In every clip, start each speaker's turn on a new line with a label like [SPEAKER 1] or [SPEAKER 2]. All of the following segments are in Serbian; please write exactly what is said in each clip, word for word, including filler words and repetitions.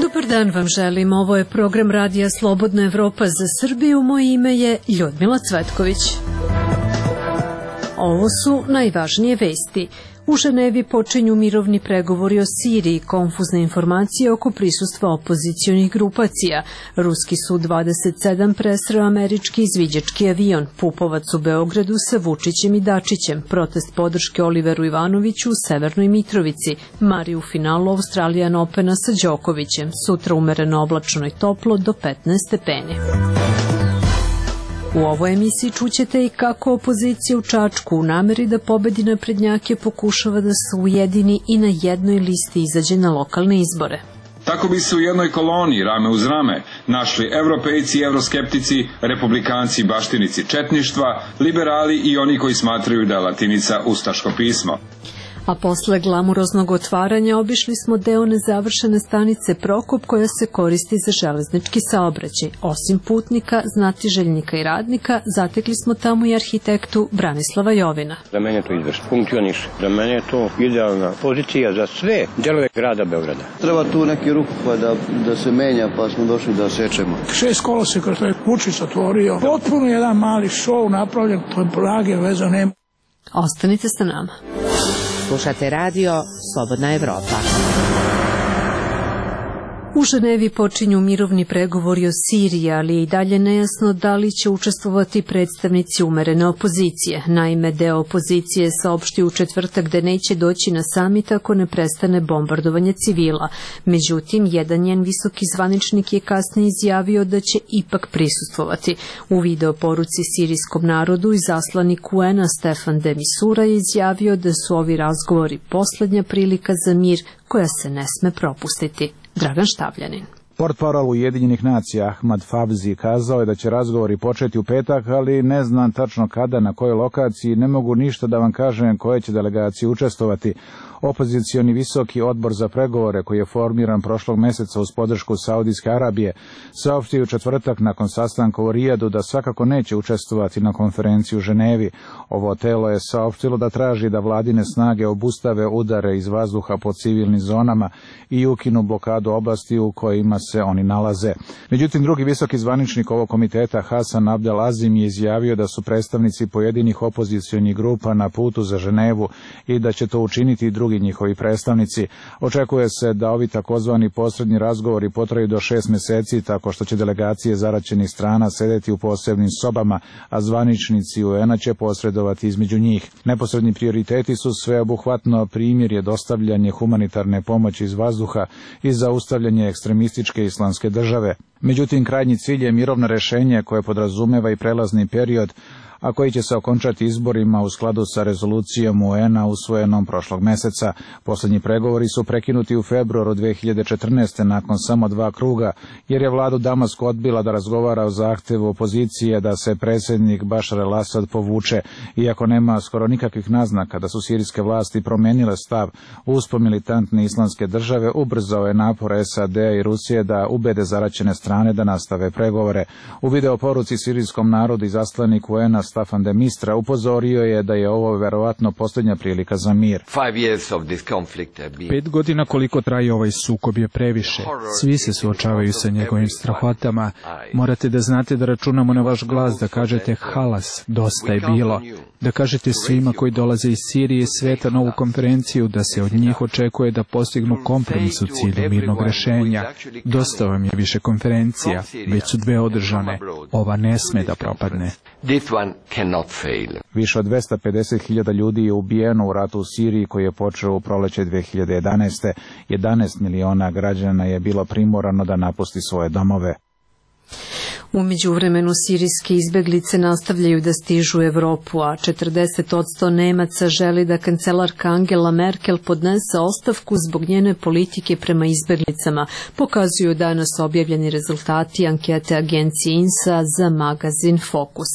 [SPEAKER 1] Dobar dan vam želim, ovo je program Radija Slobodna Evropa za Srbiju, moje ime je Ljudmila Cvetković. Ovo su najvažnije vesti. U Ženevi počinju mirovni pregovori o Siriji, konfuzne informacije oko prisustva opozicionih grupacija. Ruski su dvadeset sedam presreo američki izviđački avion, Pupovac u Beogradu sa Vučićem i Dačićem, protest podrške Oliveru Ivanoviću u Severnoj Mitrovici, Mari u finalu Australijan Opena sa Đokovićem, sutra umereno oblačno i toplo do petnaest stepeni. U ovoj emisiji čućete i kako opozicija u Čačku u nameri da pobedi naprednjake pokušava da se ujedini i na jednoj listi izađe na lokalne izbore.
[SPEAKER 2] Tako bi se u jednoj koloni, rame uz rame, našli evropejci i evroskeptici, republikanci i baštinici četništva, liberali i oni koji smatraju da je latinica ustaško pismo.
[SPEAKER 1] A posle glamuroznog otvaranja obišli smo deo nezavršene stanice Prokop koja se koristi za železnički saobraćaj. Osim putnika, znatiželjnika i radnika, zatekli smo tamo i arhitektu Branislava Jovina.
[SPEAKER 3] Za mene to izvršno funkcioniše. Za mene je to idealna pozicija za sve delove grada Beograda.
[SPEAKER 4] Treba tu neki ruku pa da, da se menja, pa smo došli da sečemo.
[SPEAKER 5] Šest koloseka što je Vučić otvorio. Potpuno jedan mali šou napravljen, to je blage veze nema.
[SPEAKER 1] Ostanite sa nama.
[SPEAKER 6] Slušate radio Slobodna Evropa.
[SPEAKER 1] U Ženevi počinju mirovni pregovori o Siriji, ali je i dalje nejasno da li će učestvovati predstavnici umerene opozicije. Naime, deo opozicije je saopštio u četvrtak da neće doći na samit ako ne prestane bombardovanje civila. Međutim, jedan njen visoki zvaničnik je kasnije izjavio da će ipak prisustvovati. U video poruci sirijskom narodu izaslanik U N-a Stefan de Mistura je izjavio da su ovi razgovori poslednja prilika za mir koja se ne sme propustiti. Dragan Štavljanin.
[SPEAKER 7] Portparol Ujedinjenih nacija Ahmad Fawzi kazao je da će razgovori početi u petak, ali ne znam tačno kada, na kojoj lokaciji, ne mogu ništa da vam kažem koje će delegacije učestvovati. Opozicioni visoki odbor za pregovore, koji je formiran prošlog meseca uz podršku Saudijske Arabije, saopštio u četvrtak nakon sastanka u Rijadu da svakako neće učestvovati na konferenciji u Ženevi. Ovo telo je saopštilo da traži da vladine snage obustave udare iz vazduha po civilnim zonama i ukinu blokadu oblasti u kojima se oni nalaze. Međutim, drugi visoki zvaničnik ovog komiteta Hasan Abdel Azim je izjavio da su predstavnici pojedinih opozicionih grupa na putu za Ženevu i da će to učiniti i drugi njihovi predstavnici. Očekuje se da ovi takozvani posredni razgovori potraju do šest meseci, tako što će delegacije zaraćenih strana sedeti u posebnim sobama, a zvaničnici U N-a će posredovati između njih. Neposredni prioriteti su sveobuhvatno primirje, dostavljanje humanitarne pomoći iz vazduha i zaustavljanje ekstremističke islamske države. Međutim, krajnji cilj je mirovno rešenje koje podrazumeva i prelazni period, a koji će se okončati izborima u skladu sa rezolucijom U N-a usvojenom prošlog meseca. Poslednji pregovori su prekinuti u februaru dve hiljade četrnaeste. nakon samo dva kruga, jer je vladu Damasku odbila da razgovara o zahtevu opozicije da se predsjednik Bašar el-Asad povuče. Iako nema skoro nikakvih naznaka da su sirijske vlasti promenile stav uspon militantne islamske države, ubrzao je napor S A D-a i Rusije da ubede zaraćene strane da nastave pregovore. U video poruci sirijskom narodu izaslanik U N-a Staffan de Mistura upozorio je da je ovo verovatno posljednja prilika za mir.
[SPEAKER 8] Pet godina koliko traje ovaj sukob je previše. Svi se suočavaju sa njegovim strahotama. Morate da znate da računamo na vaš glas, da kažete halas, dosta je bilo. Da kažete svima koji dolaze iz Sirije i sveta na ovu konferenciju da se od njih očekuje da postignu kompromis u cilju mirnog rešenja. Dosta vam je više konferencija, već su dve održane. Ova ne sme da propadne.
[SPEAKER 7] Više od dvesta pedeset hiljada ljudi je ubijeno u ratu u Siriji koji je počeo u proleće dve hiljade jedanaeste. jedanaest miliona građana je bilo primorano da napusti svoje domove.
[SPEAKER 1] U međuvremenu sirijske izbeglice nastavljaju da stižu u Evropu, a četrdeset posto Nemaca želi da kancelarka Angela Merkel podnese ostavku zbog njene politike prema izbeglicama, pokazuju danas objavljeni rezultati ankete agencije I N S A za magazin Focus.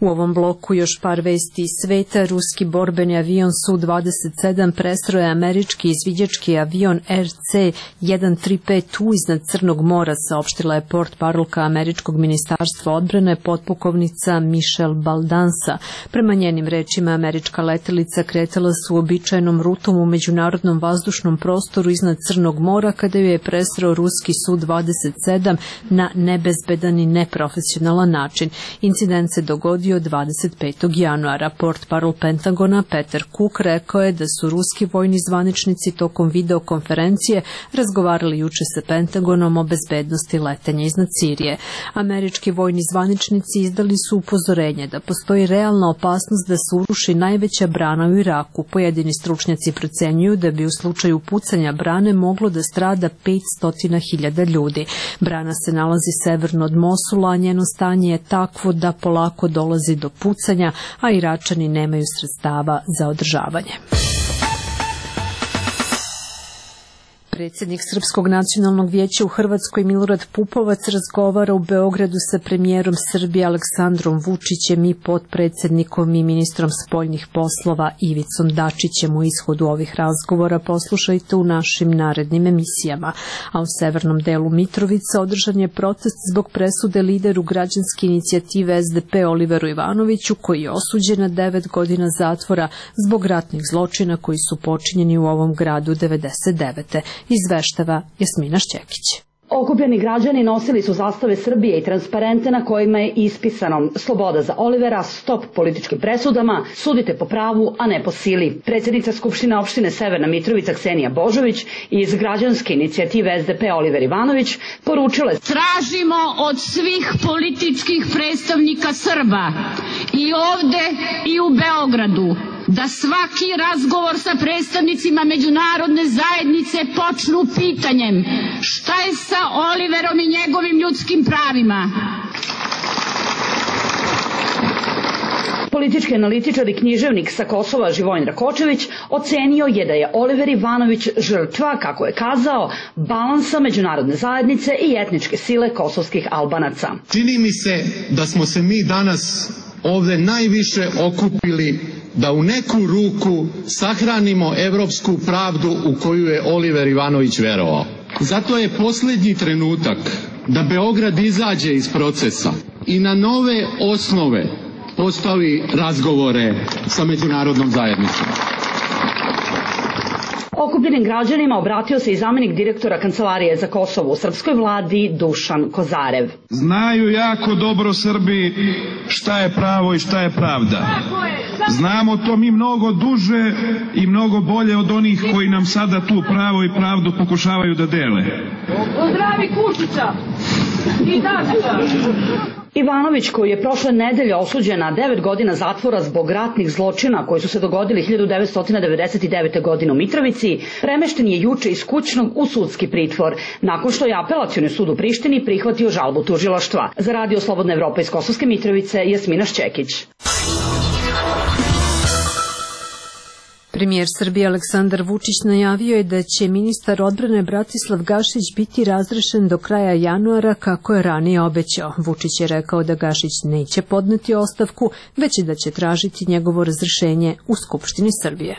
[SPEAKER 1] U ovom bloku još par vesti iz sveta. Ruski borbeni avion S U dvadeset sedam presreo je američki izviđački avion R C jedan tri pet U iznad Crnog mora, saopštila je portparolka američkog ministarstva Ministarstva odbrane potpukovnica Michelle Baldansa. Prema njenim rečima, američka letelica kretala su uobičajenom rutom u međunarodnom vazdušnom prostoru iznad Crnog mora kada ju je presreo ruski Su dvadeset sedam na nebezbedan i neprofesionalan način. Incident se dogodio dvadeset petog januara. Portparol Pentagona Peter Cook rekao je da su ruski vojni zvaničnici tokom videokonferencije razgovarali juče sa Pentagonom o bezbednosti letenja iznad Sirije. Američki vojni zvaničnici izdali su upozorenje da postoji realna opasnost da se uruši najveća brana u Iraku. Pojedini stručnjaci procenjuju da bi u slučaju pucanja brane moglo da strada petsto hiljada ljudi. Brana se nalazi severno od Mosula, a njeno stanje je takvo da polako dolazi do pucanja, a Iračani nemaju sredstava za održavanje. Predsjednik Srpskog nacionalnog vijeća u Hrvatskoj Milorad Pupovac razgovara u Beogradu sa premijerom Srbije Aleksandrom Vučićem i potpredsjednikom i ministrom spoljnih poslova Ivicom Dačićem. U ishodu ovih razgovora poslušajte u našim narednim emisijama. A u severnom delu Mitrovice održan je protest zbog presude lideru građanske inicijative S D P Oliveru Ivanoviću, koji je osuđen na devet godina zatvora zbog ratnih zločina koji su počinjeni u ovom gradu devedeset devete. Izveštava Jasmina Šćekić.
[SPEAKER 9] Okupljeni građani nosili su zastave Srbije i transparente na kojima je ispisano sloboda za Olivera, stop političkim presudama, sudite po pravu, a ne po sili. Predsjednica Skupštine opštine Severna Mitrovica Ksenija Božović i iz građanske inicijative S D P Oliver Ivanović poručile:
[SPEAKER 10] tražimo od svih političkih predstavnika Srba i ovde i u Beogradu da svaki razgovor sa predstavnicima međunarodne zajednice počnu pitanjem šta je sa Oliverom i njegovim ljudskim pravima.
[SPEAKER 9] Politički analitičar i književnik sa Kosova Živojin Rakočević ocenio je da je Oliver Ivanović žrtva, kako je kazao, balansa međunarodne zajednice i etničke sile kosovskih Albanaca.
[SPEAKER 11] Čini mi se da smo se mi danas ovde najviše okupili da u neku ruku sahranimo evropsku pravdu u koju je Oliver Ivanović verovao. Zato je posljednji trenutak da Beograd izađe iz procesa i na nove osnove postavi razgovore sa međunarodnom zajednicom.
[SPEAKER 9] Okupljenim građanima obratio se i zamenik direktora Kancelarije za Kosovo u srpskoj vladi Dušan Kozarev.
[SPEAKER 12] Znaju jako dobro Srbi šta je pravo i šta je pravda. Znamo to mi mnogo duže i mnogo bolje od onih koji nam sada tu pravo i pravdu pokušavaju da dele.
[SPEAKER 10] Pozdravi Kučića i Dačića.
[SPEAKER 9] Ivanović, koji je prošle nedelje osuđen na devet godina zatvora zbog ratnih zločina koji su se dogodili hiljadu devetsto devedeset devete. godine u Mitrovici, premešten je juče iz kućnog u sudski pritvor, nakon što je Apelacioni sud u Prištini prihvatio žalbu tužilaštva. Za Radio Slobodna Evropa iz Kosovske Mitrovice, Jasmina Šćekić.
[SPEAKER 1] Premijer Srbije Aleksandar Vučić najavio je da će ministar odbrane Bratislav Gašić biti razrešen do kraja januara, kako je ranije obećao. Vučić je rekao da Gašić neće podneti ostavku, već da će tražiti njegovo razrešenje u Skupštini Srbije.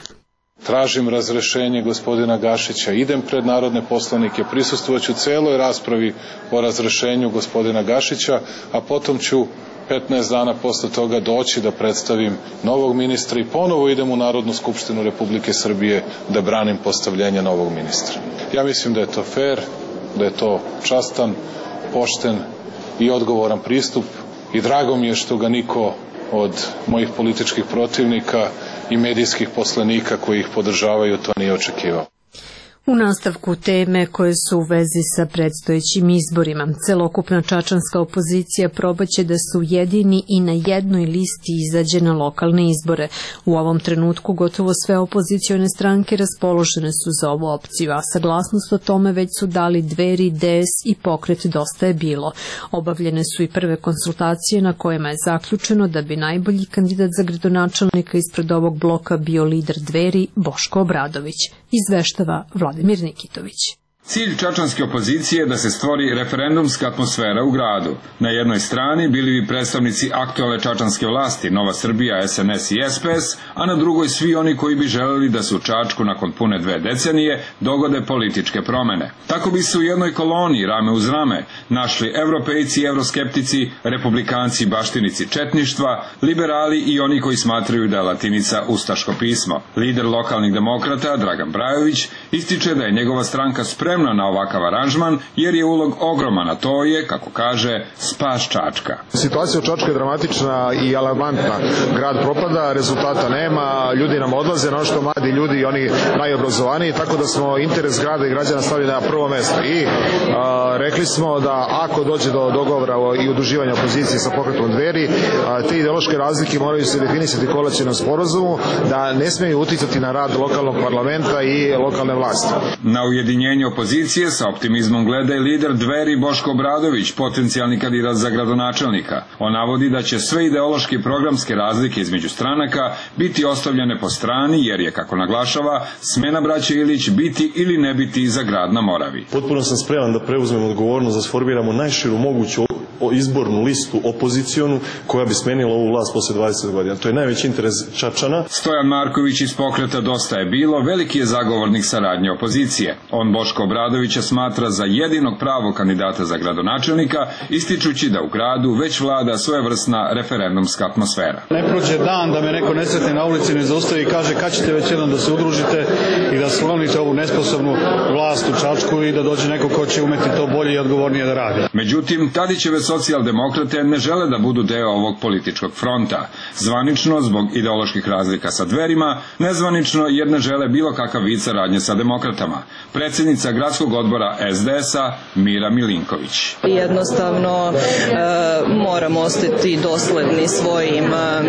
[SPEAKER 13] Tražim razrešenje gospodina Gašića, idem pred narodne poslanike, prisustvovaću celoj raspravi o razrešenju gospodina Gašića, a potom ću petnaest dana posle toga doći da predstavim novog ministra i ponovo idem u Narodnu skupštinu Republike Srbije da branim postavljenje novog ministra. Ja mislim da je to fair, da je to častan, pošten i odgovoran pristup i drago mi je što ga niko od mojih političkih protivnika i medijskih poslanika koji ih podržavaju to nije očekivao.
[SPEAKER 1] U nastavku teme koje su u vezi sa predstojećim izborima, celokupna čačanska opozicija probaće da su jedini i na jednoj listi izađe na lokalne izbore. U ovom trenutku gotovo sve opozicione stranke raspoložene su za ovu opciju, a saglasnost o tome već su dali Dveri, D S i Pokret Dosta je bilo. Obavljene su i prve konsultacije na kojima je zaključeno da bi najbolji kandidat za gradonačelnika ispred ovog bloka bio lider Dveri Boško Obradović. Izveštava Vladimir Nikitović.
[SPEAKER 2] Cilj čačanske opozicije je da se stvori referendumska atmosfera u gradu. Na jednoj strani bili bi predstavnici aktualne čačanske vlasti, Nova Srbija, S N S i S P S, a na drugoj svi oni koji bi želeli da se u Čačku nakon pune dve decenije dogode političke promene. Tako bi se u jednoj koloni, rame uz rame, našli evropejci i evroskeptici, republikanci i baštinici četništva, liberali i oni koji smatraju da je latinica ustaško pismo. Lider lokalnih demokrata, Dragan Brajović, ističe da je njegova stranka spremna na ovakav aranžman, jer je ulog ogroman, a to je, kako kaže, spas Čačka.
[SPEAKER 14] Situacija u Čačku je dramatična i alarmantna. Grad propada, rezultata nema, ljudi nam odlaze, na što mladi ljudi i oni najobrazovaniji, tako da smo interes grada i građana stavili na prvo mesto. I a, rekli smo da ako dođe do dogovora i udruživanja opozicije sa pokretom Dveri, a, te ideološke razlike moraju se definisati koalicionom sporazumu, da ne smeju uticati na rad lokalnog parlamenta i lokalne vlasti.
[SPEAKER 2] Na ujedinjenje opozicije sa optimizmom gleda i lider Dveri Boško Obradović, potencijalni kandidat za gradonačelnika. On navodi da će sve ideološke i programske razlike između stranaka biti ostavljene po strani, jer je, kako naglašava, smena braće Ilić biti ili ne biti za grad na Moravi.
[SPEAKER 15] Potpuno sam spreman da preuzmem odgovornost, da sformiramo najširu moguću izbornu listu opozicionu koja bi smenila ovu vlast posle dvadeset godina. To je najveći interes Čačana.
[SPEAKER 2] Stojan Marković iz pokreta Dosta je bilo veliki je zagovornik saradnje opozicije. On Boško Obradovića smatra za jedinog pravog kandidata za gradonačelnika, ističući da u gradu već vlada svojevrsna referendumska atmosfera.
[SPEAKER 16] Ne prođe dan da me neko ne sretne na ulici, ne zaustavi i kaže kad ćete već jednom da se udružite i da sklonite ovu nesposobnu vlast u Čačku i da dođe neko ko će umeti to bolje i odgovornije da radi.
[SPEAKER 2] Međutim, Tadićeve socijaldemokrate ne žele da budu deo ovog političkog fronta. Zvanično zbog ideoloških razlika sa Dverima, nezvanično jer ne žele bilo kakav vid saradnje sa demokratama. Predsjednica gradskog odbora S D S-a Mira Milinković.
[SPEAKER 17] Jednostavno e, moramo ostati dosledni svojim e,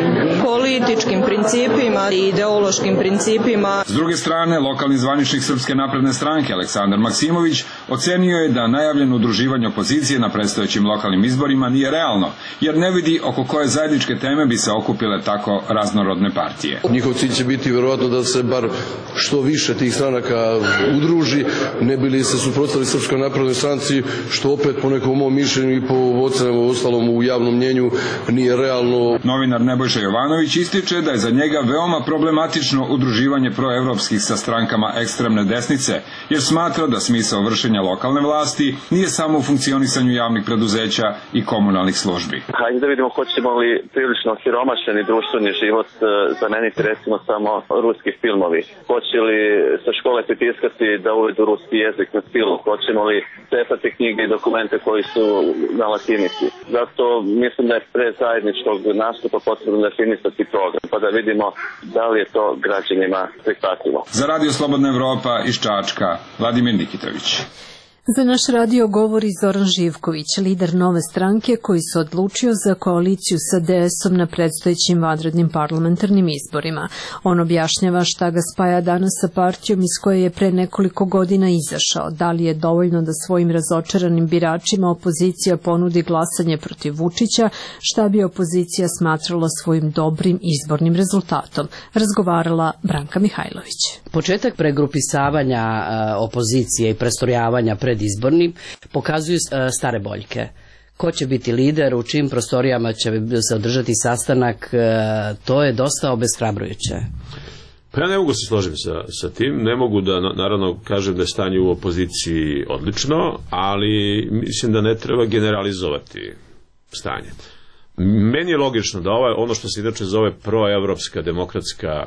[SPEAKER 17] političkim principima i ideološkim principima.
[SPEAKER 2] S druge strane, lokalni zvaničnik Srpske napredne stranke Aleksandar Maksimović ocenio je da najavljeno udruživanje opozicije na predstojećim lokalnim izborima nije realno, jer ne vidi oko koje zajedničke teme bi se okupile tako raznorodne partije.
[SPEAKER 18] Njihov cilj će biti verovatno da se bar što više tih stranaka udruži, ne bili se suprotstavili Srpskoj naprednoj stranci, što opet po nekom mom mišljenju i po ocenama ostalom u javnom mnjenju nije realno.
[SPEAKER 2] Novinar Nebojša Jovanović ističe da je za njega veoma problematično udruživanje proevropskih sa strankama ekstremne desnice, jer smatra da smisao vršenja lokalne vlasti nije samo u funkcionisanju javnih preduzeća i komunalnih službi.
[SPEAKER 19] Hajde da vidimo hoćemo li prilično siromašeni društveni život zameniti recimo samo ruski filmovi. Hoće li sa škole pritiskati da uvedu ruski jezik na film? Hoćemo li cepati knjige i dokumente koji su na latinici? Zato mislim da je pre zajedničkog nastupa potrebno definisati program, pa da vidimo da li je to građanima prihvatljivo.
[SPEAKER 2] Za Radio Slobodna Evropa iz Čačka, Vladimir Nikitović.
[SPEAKER 1] Za naš radio govori Zoran Živković, lider Nove stranke koji se odlučio za koaliciju sa D S-om na predstojećim vanrednim parlamentarnim izborima. On objašnjava šta ga spaja danas sa partijom iz koje je pre nekoliko godina izašao. Da li je dovoljno da svojim razočaranim biračima opozicija ponudi glasanje protiv Vučića, šta bi opozicija smatrala svojim dobrim izbornim rezultatom, razgovarala Branka Mihajlović.
[SPEAKER 20] Početak pregrupisavanja opozicije i prestorjavanja pred izbornim pokazuju stare boljke. Ko će biti lider, u čim prostorijama će se održati sastanak, to je dosta obeshrabrujuće.
[SPEAKER 21] Pa ja ne mogu se složiti sa, sa tim, ne mogu da naravno kažem da je stanje u opoziciji odlično, ali mislim da ne treba generalizovati stanje. Meni je logično da ovaj, ono što se inače zove proevropska demokratska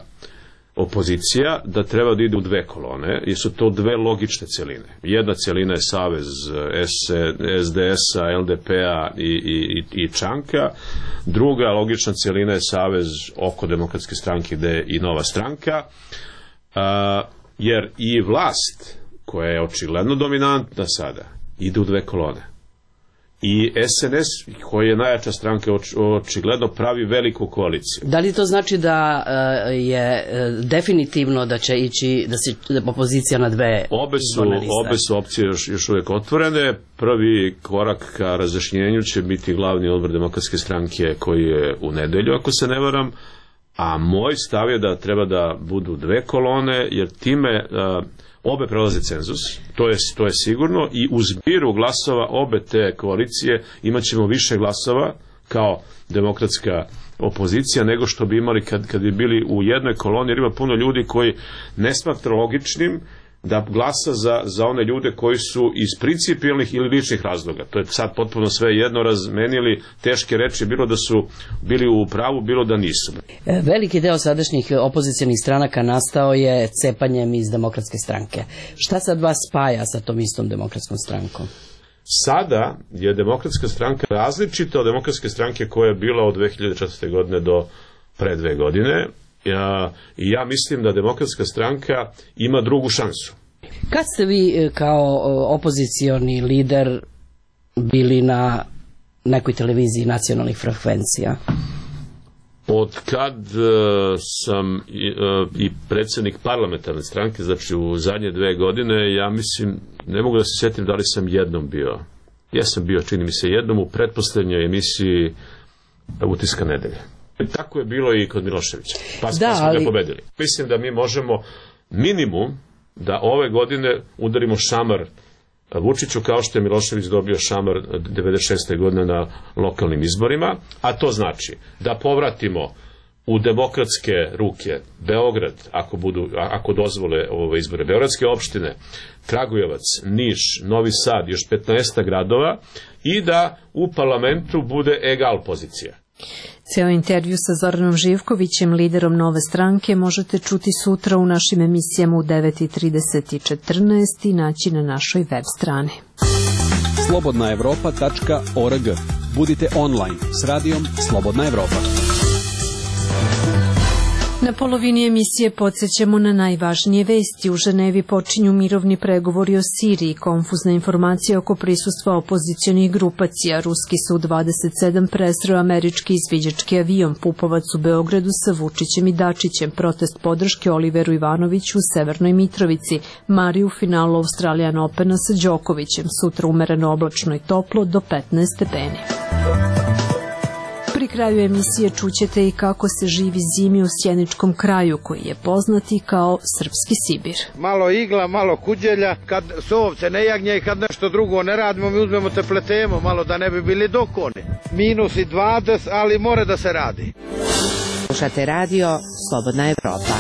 [SPEAKER 21] opozicija, da treba da ide u dve kolone, jer su to dve logične celine. Jedna celina je savez S D S-a, L D P-a i, i, i Čanka, druga logična celina je savez oko demokratske stranke gde je i Nova stranka, a, jer i vlast, koja je očigledno dominantna sada, ide u dve kolone. I S N S, koji je najjača stranka, očigledno pravi veliku koaliciju.
[SPEAKER 20] Da li to znači da je definitivno da će ići, da se opozicija na dve
[SPEAKER 21] obe su, obe su opcije još, još uvijek otvorene. Prvi korak ka razjašnjenju će biti glavni odbor demokratske stranke koji je u nedelju, ako se ne varam, A moj stav je da treba da budu dve kolone, jer time uh, obe prelaze cenzus, to je, to je sigurno, i u zbiru glasova obe te koalicije imat ćemo više glasova kao demokratska opozicija nego što bi imali kad, kad bi bili u jednoj koloni, jer ima puno ljudi koji ne smatra logičnim da glasa za, za one ljude koji su iz principijelnih ili ličnih razloga. To je sad potpuno sve jedno razmenili teške reči, bilo da su bili u pravu, bilo da nisu.
[SPEAKER 20] Veliki deo sadašnjih opozicionih stranaka nastao je cepanjem iz Demokratske stranke. Šta sad vas spaja sa tom istom Demokratskom strankom?
[SPEAKER 21] Sada je Demokratska stranka različita od Demokratske stranke koja je bila od dve hiljade četvrte. godine do pre dve godine. Ja, i ja mislim da Demokratska stranka ima drugu šansu.
[SPEAKER 20] Kad ste vi kao opozicioni lider bili na nekoj televiziji nacionalnih frekvencija?
[SPEAKER 21] Od kad uh, sam i, uh, i predsjednik parlamentarne stranke, znači u zadnje dve godine, ja mislim, ne mogu da se sjetim da li sam jednom bio. Ja sam bio, čini mi se, jednom u pretposlednjoj emisiji Utiska nedelje. Tako je bilo i kod Miloševića. Pa, da, pa smo ali... ga pobedili. Mislim da mi možemo minimum da ove godine udarimo šamar Vučiću kao što je Milošević dobio šamar devedeset šeste. godine na lokalnim izborima, a to znači da povratimo u demokratske ruke Beograd, ako, budu, ako dozvole ove izbore, beogradske opštine, Kragujevac, Niš, Novi Sad, još petnaest gradova, i da u parlamentu bude egal pozicija.
[SPEAKER 1] Ceo intervju sa Zoranom Živkovićem, liderom Nove stranke, možete čuti sutra u našim emisijama u devet trideset i četrnaest i naći na našoj web strani.
[SPEAKER 3] slobodna evropa tačka org. Budite online s radijom Slobodna Evropa.
[SPEAKER 1] Na polovini emisije podsjećamo na najvažnije vesti. U Ženevi počinju mirovni pregovori o Siriji, konfuzna informacija oko prisustva opozicionih grupacija. Ruski su u dvadeset sedam presreo američki izviđački avion, Pupovac u Beogradu sa Vučićem i Dačićem, protest podrške Oliveru Ivanoviću u Severnoj Mitrovici, Mari u finalu Australian Opena sa Đokovićem, sutra umereno oblačno i toplo do petnaest stepeni. Pri kraju emisije čućete i kako se živi zimi u sjeničkom kraju, koji je poznati kao Srpski Sibir.
[SPEAKER 22] Malo igla, malo kuđelja, kad su ovce ne jagnje i kad nešto drugo ne radimo, mi uzmemo te pletemo malo da ne bi bili dokoni. Minus i dvadeset, ali more da se radi.
[SPEAKER 6] Slušate radio Slobodna Evropa.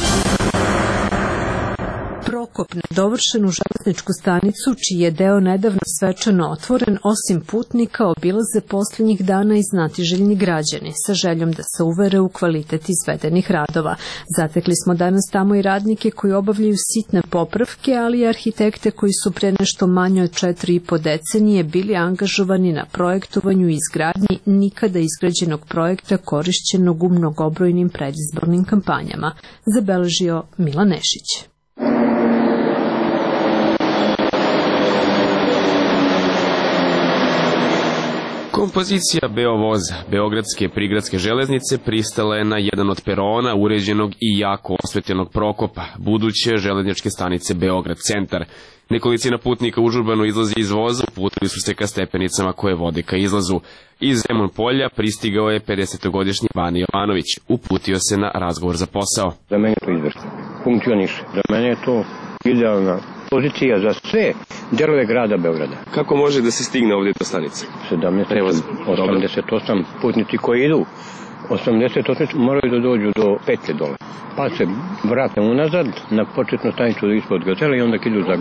[SPEAKER 1] Prokop na dovršenu železničku stanicu, čiji je deo nedavno svečano otvoren, osim putnika obilaze posljednjih dana i znatiželjni građani, sa željom da se uvere u kvalitet izvedenih radova. Zatekli smo danas tamo i radnike koji obavljaju sitne popravke, ali i arhitekte koji su pre nešto manje od četiri i po decenije bili angažovani na projektovanju i izgradnji nikada izgrađenog projekta korišćenog u mnogobrojnim predizbornim kampanjama, zabeležio Milan Nešić.
[SPEAKER 23] Kompozicija Beovoz, Beogradske prigradske železnice, pristala je na jedan od perona uređenog i jako osvetljenog Prokopa, buduće železničke stanice Beograd centar. Nekolicina putnika užurbano izlazi iz voza, uputili su se ka stepenicama koje vode ka izlazu. Iz Zemun polja pristigao je pedesetogodišnji Vani Jovanović, uputio se na razgovor za posao.
[SPEAKER 24] Za mene je to izvršno, funkcioniše, za mene je to idealna pozicija za sve delove grada Beograda.
[SPEAKER 23] Kako može da se stigne ovdje do stanice?
[SPEAKER 24] sedamnaest, osamdeset osam putnici koji idu, osamdeset osam moraju da dođu do petlje dole. Pa se vrate unazad na početnu stanicu ispod Gazele i onda idu za,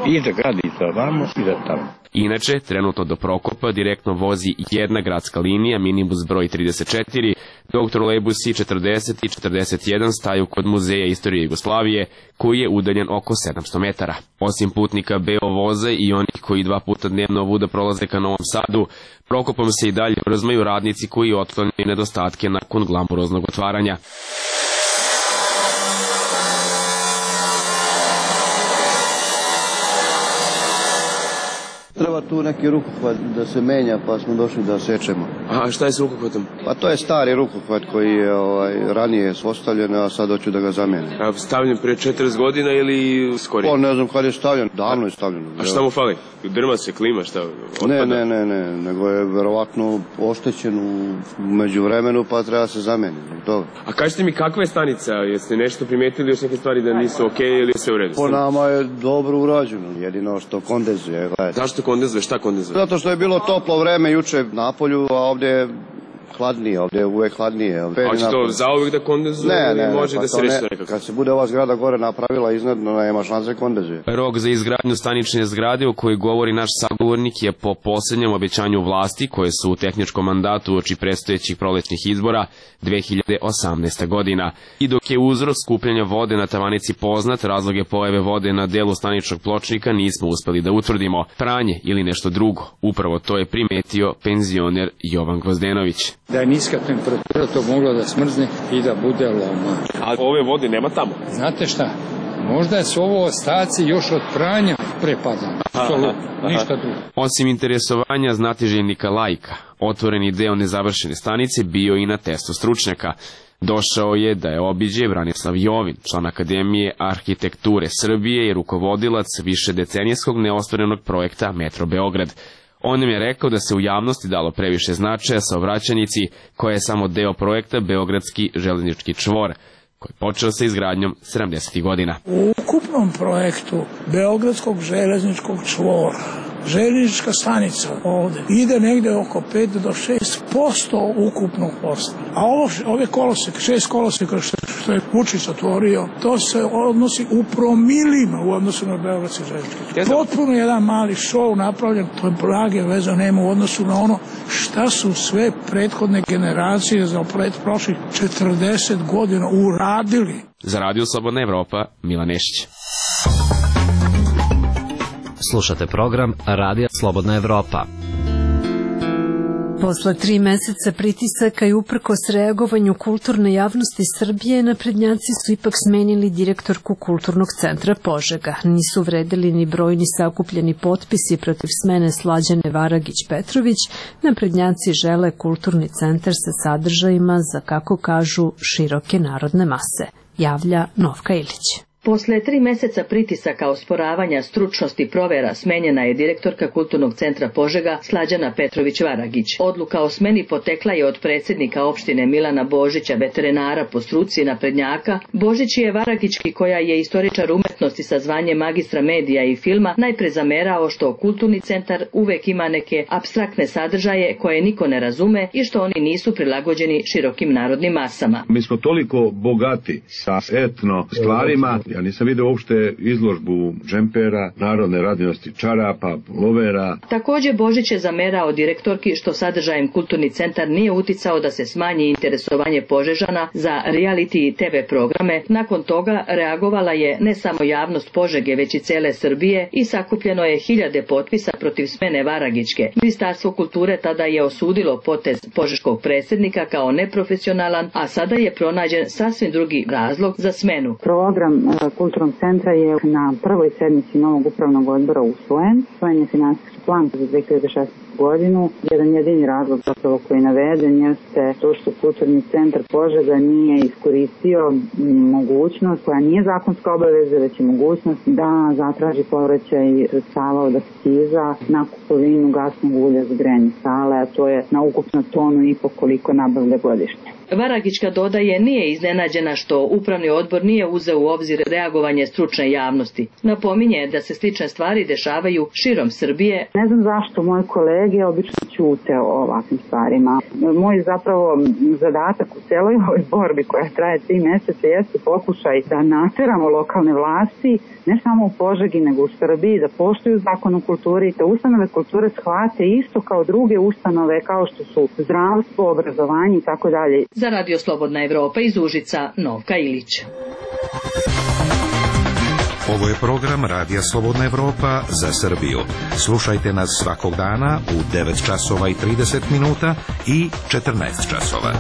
[SPEAKER 24] i za grad i za vamo i za tamo.
[SPEAKER 23] Inače, trenutno do Prokopa direktno vozi jedna gradska linija, minibus broj trideset četiri, dok trolejbusi četrdeset i četrdeset jedan staju kod Muzeja istorije Jugoslavije, koji je udaljen oko sedamsto metara. Osim putnika Beovoza i onih koji dva puta dnevno ovuda prolaze ka Novom Sadu, Prokopom se i dalje vrzmaju radnici koji otklanjaju nedostatke nakon glamuroznog otvaranja.
[SPEAKER 4] Treba tu neki rukohvat da se menja, pa smo došli da sečemo.
[SPEAKER 5] A šta je s rukohvatom?
[SPEAKER 4] Pa to je stari rukohvat koji je ovaj, ranije ostavljen, a sad hoću da ga zamenim.
[SPEAKER 5] A stavljen pre četrdeset godina ili skorije?
[SPEAKER 4] Pa ne znam kad je stavljen, davno je stavljen.
[SPEAKER 5] A šta mu fali? Drma se, klima, šta? Otpada?
[SPEAKER 4] Ne, ne, ne, ne, nego je verovatno oštećen u međuvremenu, pa treba se zameniti. To.
[SPEAKER 5] A kažete mi kakva je stanica? Jeste nešto primetili još neke stvari da nisu okej okay, ili sve u redu?
[SPEAKER 4] Po nama je dobro urađeno, jedino što kondenzuje. Gledajte.
[SPEAKER 5] Zašto kondenzuje? Šta kondenzuje?
[SPEAKER 4] Zato što je bilo toplo vreme juče napolju, a ovdje je hladnije, ovdje je uvek hladnije.
[SPEAKER 5] A hoće to zauvijek da kondenzuje
[SPEAKER 4] ne,
[SPEAKER 5] ili
[SPEAKER 4] ne,
[SPEAKER 5] može
[SPEAKER 4] pa
[SPEAKER 5] da se reši nekako?
[SPEAKER 4] Kad se bude ova zgrada gore napravila iznad, nema šanse kondenzuje.
[SPEAKER 23] Rok za izgradnju stanične zgrade o kojoj govori naš sagovornik je po posljednjem obećanju vlasti koje su u tehničkom mandatu uoči predstojećih prolećnih izbora dve hiljade osamnaeste. godina. I dok je uzrok skupljanja vode na tavanici poznat, razloge pojave vode na delu staničnog pločnika nismo uspeli da utvrdimo. Pranje ili nešto drugo. Upravo to je primetio penzioner Jovan Gvozdenović.
[SPEAKER 7] Da je niska temperatura to moglo da smrzne i da bude loma.
[SPEAKER 5] A ove vode nema tamo?
[SPEAKER 7] Znate šta, možda su ovo ostaci još od pranja prepada. Ništa drugo.
[SPEAKER 23] Osim interesovanja znatiželjnika laika, otvoreni deo nezavršene stanice bio i na testu stručnjaka. Došao je da je obiđe Branislav Jovin, član Akademije arhitekture Srbije i rukovodilac višedecenijskog neostvarenog projekta Metro Beograd. On nam je rekao da se u javnosti dalo previše značaja saobraćajnici, koja je samo deo projekta Beogradski železnički čvor, koji je počeo sa izgradnjom sedamdesetih godina.
[SPEAKER 8] U ukupnom projektu Beogradskog železničkog čvora željeznička stanica ovde ide negde oko pet do šest posto ukupnog posla. A ovo, ove koloseke, šest koloseka što, što je Vučić otvorio, to se odnosi u promilima u odnosu na Beogradski željeznički. Potpuno jedan mali šou napravljen, to je blage veze nema u odnosu na ono šta su sve prethodne generacije za prošlih četrdeset godina uradili.
[SPEAKER 23] Za Radio Slobodna Evropa, Milan Nešić.
[SPEAKER 25] Slušate program Radija Slobodna Evropa.
[SPEAKER 1] Posle tri meseca pritisaka i uprkos reagovanju kulturne javnosti Srbije, naprednjaci su ipak smenili direktorku Kulturnog centra Požega. Nisu vredeli ni brojni sakupljeni potpisi protiv smene Slađane Varagić-Petrović. Naprednjaci žele kulturni centar sa sadržajima za, kako kažu, široke narodne mase. Javlja Novka Ilić.
[SPEAKER 9] Posle tri meseca pritisaka osporavanja stručnosti provera smenjena je direktorka Kulturnog centra Požega Slađana Petrović-Varagić. Odluka o smeni potekla je od predsjednika opštine Milana Božića, veterinara po struci naprednjaka. Božić je Varagićki, koja je istoričar umetnosti sa zvanjem magistra medija i filma, najpre zamerao što Kulturni centar uvek ima neke apstraktne sadržaje koje niko ne razume i što oni nisu prilagođeni širokim narodnim masama.
[SPEAKER 26] Mi smo toliko bogati sa etno stvarima. Ja nisam vidio uopšte izložbu džempera, narodne radinosti čarapa, lovera.
[SPEAKER 9] Također Božić je zamerao direktorki što sadržajem Kulturni centar nije uticao da se smanji interesovanje Požežana za reality i te ve programe. Nakon toga reagovala je ne samo javnost Požege, već i cele Srbije i sakupljeno je hiljade potpisa protiv smene Varagićke. Ministarstvo kulture tada je osudilo potez požeškog predsjednika kao neprofesionalan, a sada je pronađen sasvim drugi razlog za smenu.
[SPEAKER 27] Program Kulturnog centra je na prvoj sednici novog upravnog odbora usvojen. Usvojen je finansijski plan za dve hiljade šesnaeste. godinu. Jedan jedini razlog zapravo koji je naveden jeste to što Kulturni centar Požega nije iskoristio mogućnost, koja nije zakonska obaveza, već je mogućnost da zatraži povraćaj sredstava od akciza na kupovinu gasnog ulja za grejanje sale, a to je na ukupno tonu i po koliko nabavlja godišnje.
[SPEAKER 9] Varagićka dodaje nije iznenađena što upravni odbor nije uzeo u obzir reagovanje stručne javnosti. Napominje da se slične stvari dešavaju širom Srbije.
[SPEAKER 27] Ne znam zašto moje kolege obično ćute o ovakvim stvarima. Moj zapravo zadatak u celoj ovoj borbi koja traje tri meseca jeste pokušaj da nateramo lokalne vlasti, ne samo u Požegi nego u Srbiji, da poštuju zakon o kulturi i da ustanove kulture shvate isto kao druge ustanove kao što su zdravstvo, obrazovanje i tako dalje.
[SPEAKER 9] Za Radio Slobodna Evropa iz Užica, Novka Ilić.
[SPEAKER 28] Ovo je program Radija Slobodna Evropa za Srbiju. Slušajte nas svakog dana u devet časova i trideset minuta i četrnaest časova.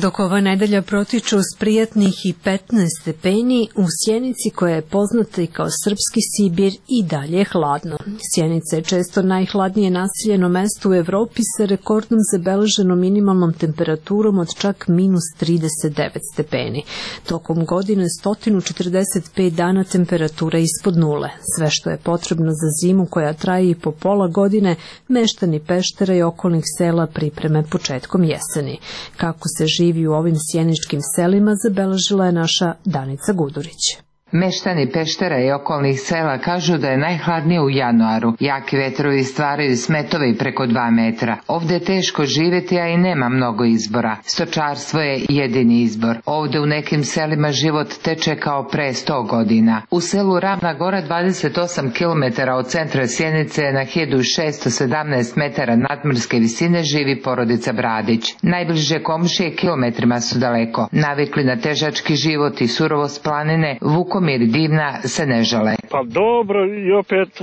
[SPEAKER 1] Dok ova nedelja protiču s prijatnih i petnaest stepeni, u Sjenici, koja je poznata i kao srpski Sibir, i dalje je hladno. Sjenica je često najhladnije naseljeno mesto u Evropi sa rekordnom zabeleženom minimalnom temperaturom od čak minus trideset devet stepeni. Tokom godine sto četrdeset pet dana temperatura ispod nule. Sve što je potrebno za zimu koja traje i po pola godine, meštani Peštera i okolnih sela pripreme početkom jeseni. Kako se živi u ovim sjeničkim selima, zabeležila je naša Danica Gudurić.
[SPEAKER 10] Meštani Peštera i okolnih sela kažu da je najhladnije u januaru. Jaki vetrovi stvaraju smetove i preko dva metra. Ovde je teško živjeti, a i nema mnogo izbora. Stočarstvo je jedini izbor. Ovde u nekim selima život teče kao pre sto godina. U selu Ravna Gora, dvadeset osam kilometara od centra Sjenice, na hiljadu šesto sedamnaest metara nadmorske visine, živi porodica Bradić. Najbliže komšije kilometrima su daleko. Navikli na težački život i surovost planine, Vukom Mir Divna se ne žale.
[SPEAKER 11] Pa dobro, i opet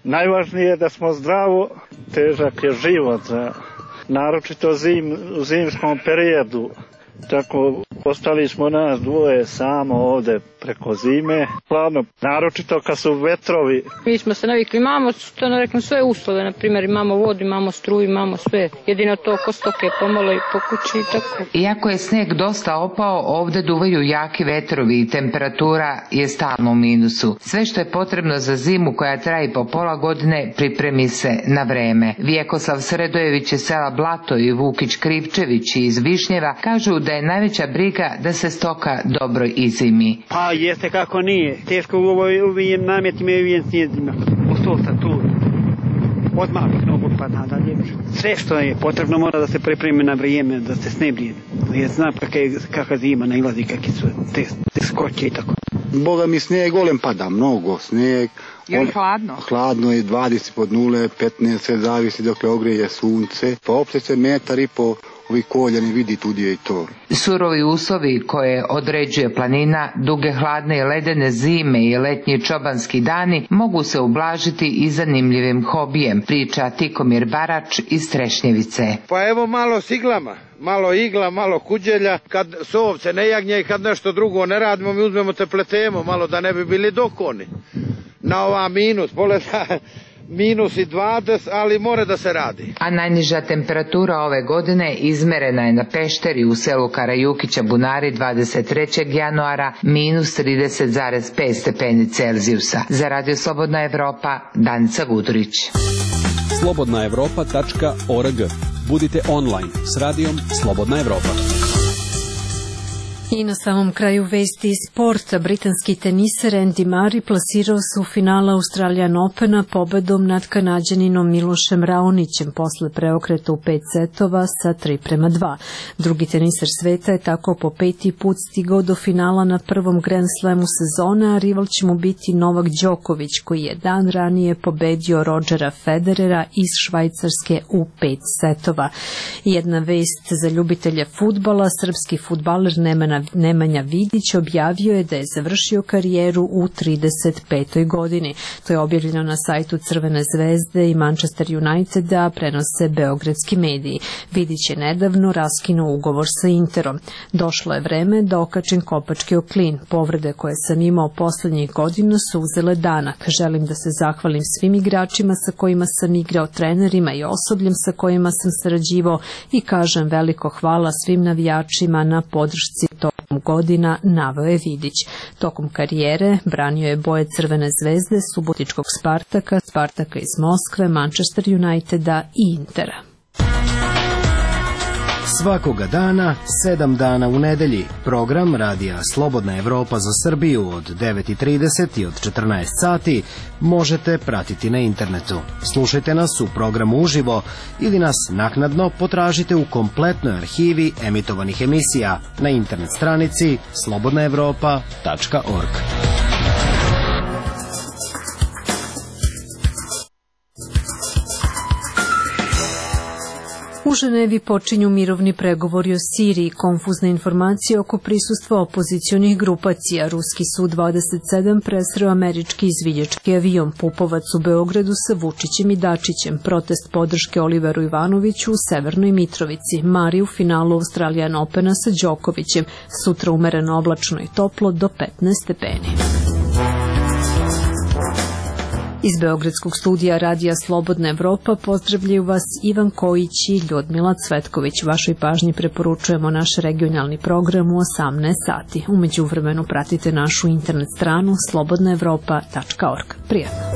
[SPEAKER 11] najvažnije je da smo zdravo, težak je život, naročito zim, u zimskom periodu. Tako ostali smo nas dvoje samo ovde preko zime, hladno, naročito kad su vetrovi.
[SPEAKER 12] Mi smo se navikli, imamo što ne reklam, sve uslove, na primjer imamo vodu, imamo struju, imamo sve, jedino to oko stoke pomalo i po kući i tako.
[SPEAKER 10] Iako je sneg dosta opao, ovde duvaju jaki vetrovi i temperatura je stalno u minusu. Sve što je potrebno za zimu koja traje po pola godine pripremi se na vreme. Vjekoslav Sredojević iz sela Blato i Vukić Krivčević iz Višnjeva kažu da je najveća briga da se stoka dobro izimi.
[SPEAKER 11] Pa jeste kako nije. Teško u ovim namjetima i ovim snijedima. Ostolta tu. Od malih nogu pa nadalje. Sve što je potrebno mora da se pripremi na vrijeme, da se ne brije. Jer zna kakva zima nailazi, kakve su te, te skoće i tako.
[SPEAKER 13] Boga mi snijeg golem pada, mnogo snijeg.
[SPEAKER 10] Je li hladno?
[SPEAKER 13] Hladno je dvadeset pod nule, petnaest, sve zavisi dokle ogreje sunce. Pa opšte se metar i po ovi kolja ne vidi tudi je i to.
[SPEAKER 10] Surovi uslovi koje određuje planina, duge hladne i ledene zime i letnji čobanski dani mogu se ublažiti i zanimljivim hobijem, priča Tikomir Barač iz Trešnjevice.
[SPEAKER 22] Pa evo malo s iglama, malo igla, malo kuđelja, kad sovce ne jagnje i kad nešto drugo ne radimo, mi uzmemo te pletemo malo da ne bi bili dokoni. Na ova minus, poleta minus i dvadeset, ali mora da se radi.
[SPEAKER 10] A najniža temperatura ove godine izmerena je na Pešteri u selu Karajukića Bunari dvadeset trećeg januara minus trideset zarez pet stepeni Celzijusa. Za Radio Slobodna Evropa, Danica Gudurić.
[SPEAKER 3] slobodna evropa tačka org. Budite online s radijom Slobodna Evropa.
[SPEAKER 1] I na samom kraju vesti iz sporta, britanski teniser Andy Murray plasirao se u finala Australian Opena pobedom nad Kanađaninom Milošem Raonićem posle preokreta u pet setova sa tri prema dva. Drugi teniser sveta je tako po peti put stigao do finala na prvom Grand Slamu sezone, a rival će mu biti Novak Đoković, koji je dan ranije pobedio Rodgera Federera iz Švajcarske u pet setova. Jedna vest za ljubitelje fudbala, srpski fudbaler Nemanja Nemanja Vidić objavio je da je završio karijeru u trideset petoj godini. To je objavljeno na sajtu Crvene zvezde i Manchester Uniteda, prenose beogradski mediji. Vidić je nedavno raskinuo ugovor sa Interom. Došlo je vreme da okačim kopački o klin. Povrede koje sam imao poslednjih godina su uzele danak. Želim da se zahvalim svim igračima sa kojima sam igrao, trenerima i osobljem sa kojima sam sarađivao i kažem veliko hvala svim navijačima na podršci tokom godina, naveo je Vidić. Tokom karijere branio je boje Crvene zvezde, Subotičkog Spartaka, Spartaka iz Moskve, Manchester Uniteda i Intera.
[SPEAKER 14] Svakoga dana, sedam dana u nedelji, program Radija Slobodna Evropa za Srbiju od devet i trideset i od četrnaest sati možete pratiti na internetu. Slušajte nas u programu uživo ili nas naknadno potražite u kompletnoj arhivi emitovanih emisija na internet stranici slobodna evropa tačka org.
[SPEAKER 1] U Ženevi počinju mirovni pregovori o Siriji, konfuzne informacije oko prisustva opozicionih grupacija. Ruski Su dvadeset sedam presreo američki izviđački avion. Pupovac u Beogradu sa Vučićem i Dačićem. Protest podrške Oliveru Ivanoviću u Severnoj Mitrovici. Mari u finalu Australian Opena sa Đokovićem. Sutra umereno oblačno i toplo do petnaest stepeni. Iz Beogradskog studija Radija Slobodna Evropa pozdravljaju vas Ivan Kojić i Ljudmila Cvetković. Vašoj pažnji preporučujemo naš regionalni program u osamnaest sati. U međuvremenu pratite našu internet stranu slobodna evropa tačka org. Prijatno.